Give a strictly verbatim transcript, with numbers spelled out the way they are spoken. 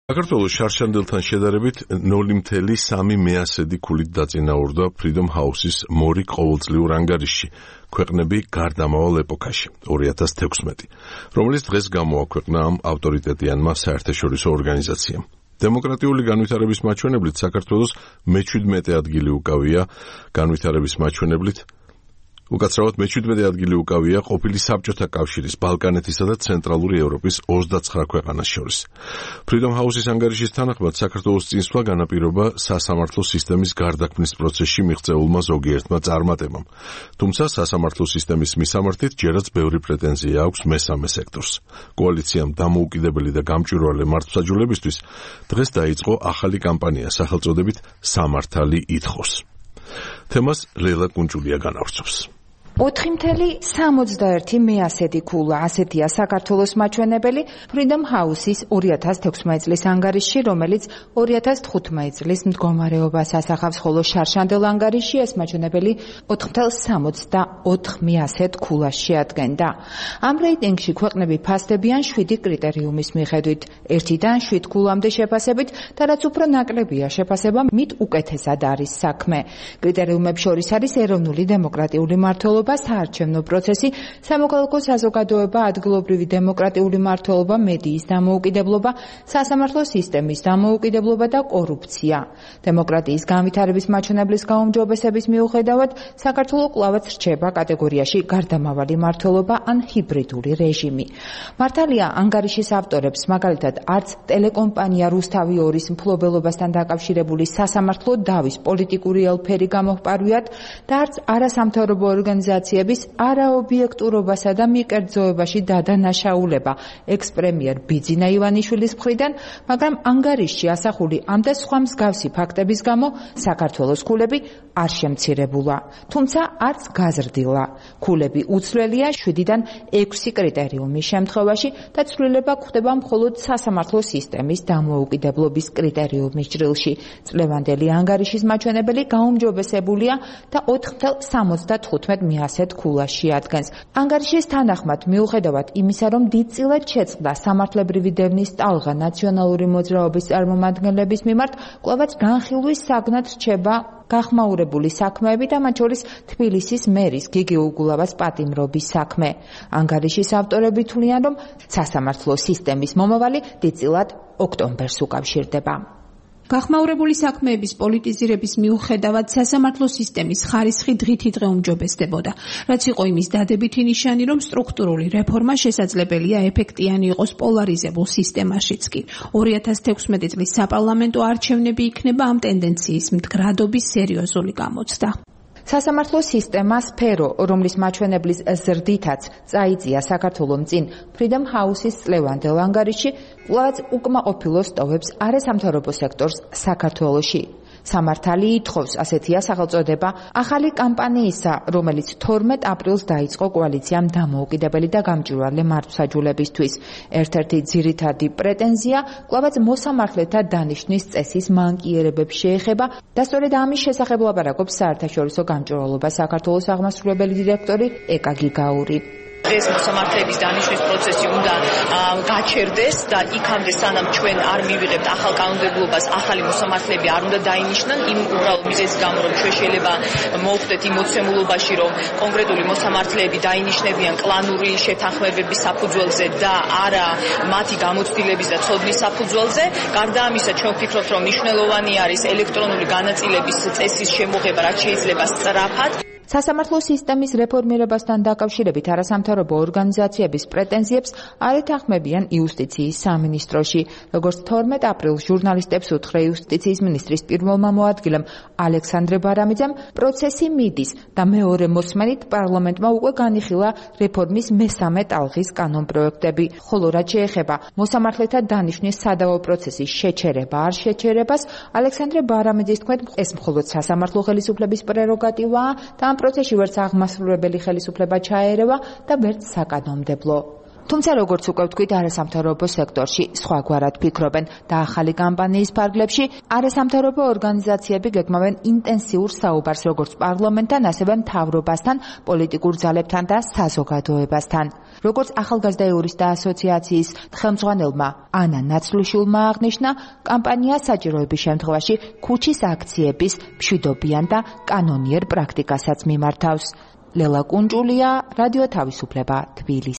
საქართველოს შარშანდელთან შედარებით ნული მცდე სამი მეასედი ქულით დაწინაურდა Freedom House-ის მორიგ ყოველწლიურ ანგარიშში, ქვეყნები გარდამავალ ეპოქაში, ორი ათას თექვსმეტი, რომელიც დღეს გამოაქვეყნა ამ ავტორიტეტიანმა საერთაშორისო ორგანიზაციამ. დემოკრატიული განვითარების მაჩვენებლით საქართველოს მეჩვიდმეტე ადგილი უკავია განვითარების მაჩვენებლით უკაცრავად მეჩვიდმეტე ადგილი უკავია ყოფილი საბჭოთა კავშირის, ბალკანეთისა და ცენტრალური ევროპის ოცდაცხრა ქვეყანას შორის. Freedom House-ის ანგარიშის თანახმად საქართველოს წინსვლა განაპირობა სასამართლო სისტემის გარდაქმნის პროცესში მიღწეულმა ზოგიერთმა წარმატებამ. თუმცა სასამართლო სისტემის მისამართით ჯერაც ბევრი პრეტენზია აქვს მესამე სექტორს. კოალიციამ დამოუკიდებელი და გამჭვირვალე მართლმსაჯულებისთვის დღეს დაიწყო ახალი კამპანია სახელწოდებით სამართალი ითხოვს. თემას ლელა კუნჭულია განავრცობს. ოთხი მცდე სამოცდაერთი მეასედი ქულა, ასეთია საქართველოს მაჩვენებელი Freedom House-ის ორი ათას თექვსმეტი წლის ანგარიშში, რომელიც ორი ათას თხუთმეტი წლის მდგომარეობას ასახავს, ხოლო შარშანდელ ანგარიშში ეს მაჩვენებელი ოთხი მცდე სამოცდაოთხ მეასედ ქულას შეადგენდა. ამ რეიტინგში ქვეყნები ფასდებიან შვიდი კრიტერიუმის მიხედვით, ერთიდან შვიდ ქულამდე შეფასებით და რაც უფრო ნაკლებია შეფასება, მით უკეთესად არის საქმე. კრიტერიუმებს შორის არის ეროვნული დემოკრატიული მმართველობა, საარჩევნო პროცესი, სამოქალაქო საზოგადოება, ადგილობრივი დემოკრატიული მმართველობა, მედიის დამოუკიდებლობა, სასამართლო სისტემის დამოუკიდებლობა და კორუფცია. დემოკრატიის განვითარების მაჩვენებლის გაუმჯობესების მიუხედავად, საქართველო კვლავაც რჩება კატეგორიაში გარდამავალი მმართველობა ან ჰიბრიდული რეჟიმი. მართალია, ანგარიშის ავტორებს, მაგალითად, არც ტელეკომპანია რუსთავი ორის მფლობელობასთან დაკავშირებული სასამართლო დავის პოლიტიკური ელფერი გამოჰპარვიათ და არც არასამთავრობო ორგანიზაციების არაობიექტურობასა და მიკერძოებაში დადანაშაულება ექს-პრემიერ ბიძინა ივანიშვილის მხრიდან, მაგრამ ანგარიშში ასახული ამ და სხვა მსგავსი ფაქტების გამო საქართველოს ქულები არ შემცირებულა, თუმცა არც გაზრდილა. ქულები უცვლელია შვიდიდან ექვსი კრიტერიუმის შემთხვევაში და ცვლილება გვხდება მხოლოდ სასამართლო სისტემის დამოუკიდებლობის კრიტერიუმის ჭრილში. წლევანდელი ანგარიშის მაჩვენებელი გაუმჯობესებულია და ოთხი მცდე სამოცდათხუთმეტ მეასედ ქულას შეადგენს. ანგარიშის თანახმად, მიუხედავად იმისა, რომ დიდწილად შეწყდა სამართლებრივი დევნის ტალღა ნაციონალური მოძრაობის წარმომადგენლების მიმართ, კვლავაც განხილვის საგნად რჩება გახმაურებული საქმეები და მათ შორის თბილისის მერის გიგი უგულავას პატიმრობის საქმე. ანგარიშის ავტორები თვლიან, რომ სასამართლო სისტემის მომავალი დიდწილად ოქტომბერს უკავშირდება. გახმაურებული საქმეების პოლიტიზირების მიუხედავად სასამართლო სისტემის ხარისხი დღითიდღე უმჯობესდებოდა, რაც იყო იმის დადებითი ნიშანი, რომ სტრუქტურული რეფორმა შესაძლებელია ეფექტიანი იყოს პოლარიზებულ სისტემაშიც კი. ორი ათას თექვსმეტი წლის საპარლამენტო არჩევნები იქნება ამ ტენდენციის მდგრადობის სერიოზული გამოცდა. სასამართლო სისტემა სფერო, რომლის მაჩვენებლის ზრდითაც წაიწია საქართველომ წინ Freedom House-ის წლევანდელ ანგარიშში, კვლავაც უკმაყოფილოს ტოვებს არასამთავრობო სექტორს საქართველოში. სამართალი ითხოვს, ასეთია სახელწოდება ახალი კამპანიისა, რომელიც თორმეტ აპრილს დაიწყო კოალიციამ დამოუკიდებელი და გამჭვირვალე მართლმსაჯულებისთვის. ერთ-ერთი ძირითადი პრეტენზია კვლავაც მოსამართლეთა დანიშვნის წესის მანკიერებებს შეეხება და სწორედ ამის შესახებ ლაპარაკობს საერთაშორისო გამჭვირვალობა საქართველოს აღმასრულებელი დირექტორი ეკა გიგაური. ეს მოსამართლეების დანიშვნის პროცესი უნდა გაჩერდეს და იქამდე სანამ ჩვენ არ მივიღებთ ახალ კანონმდებლობას, ახალი მოსამართლეები არ უნდა დაინიშნან, იმ უბრალოდ მიზეზის გამო, რომ ჩვენ შეიძლება მოვხდეთ იმ მოცემულობაში, რომ კონკრეტული მოსამართლეები დაინიშნებიან კლანური შეთანხმებების საფუძველზე და არა მათი გამოცდილების და ცოდნის საფუძველზე. გარდა ამისა, ჩვენ ვფიქრობთ, რომ მნიშვნელოვანი არის ელექტრონული განაწილების წესის შემოღება, რაც შეიძლება სწრაფად. სასამართლო სისტემის რეფორმირებასთან დაკავშირებით არასამთავრობო ორგანიზაციების პრეტენზიებს არ ეთანხმებიან იუსტიციის სამინისტროში. როგორც თორმეტ აპრილს ჟურნალისტებს უთხრა იუსტიციის მინისტრის პირველმა მოადგილემ ალექსანდრე ბარამიძემ, პროცესი მიდის და მეორე მოსმენით პარლამენტმა უკვე განიხილა რეფორმის მესამე ტალღის კანონპროექტები, ხოლო რაც შეეხება მოსამართლეთა დანიშვნის სადავო პროცესის შეჩერება არ შეჩერებას, ალექსანდრე ბარამიძის თქმით, ეს მხოლოდ სასამართლო ხელისუფლების პრეროგატივაა და ამ პროცესში ვერც აღმასრულებელი ხელისუფლება ჩაერევა და ვერც საკანონმდებლო. თუმცა როგორც უკვე ვთქვით, არასამთავრობო სექტორში სხვაგვარად ფიქრობენ და ახალი კამპანიის ფარგლებში არასამთავრობო ორგანიზაციები გეგმავენ ინტენსიურ საუბარს როგორც პარლამენტთან, ასევე მთავრობასთან, პოლიტიკურ ძალებთან და საზოგადოებასთან. როგორც ახალგაზრდა იურისტთა ასოციაციის ხელმძღვანელმა ანა ნაცლუშვილმა აღნიშნა, კამპანია საჭიროების შემთხვევაში ქუჩის აქციების მშვიდობიან და კანონიერ პრაქტიკასაც მიმართავს. ლელა კუნჭულია, რადიო თავისუფლება, თბილისი.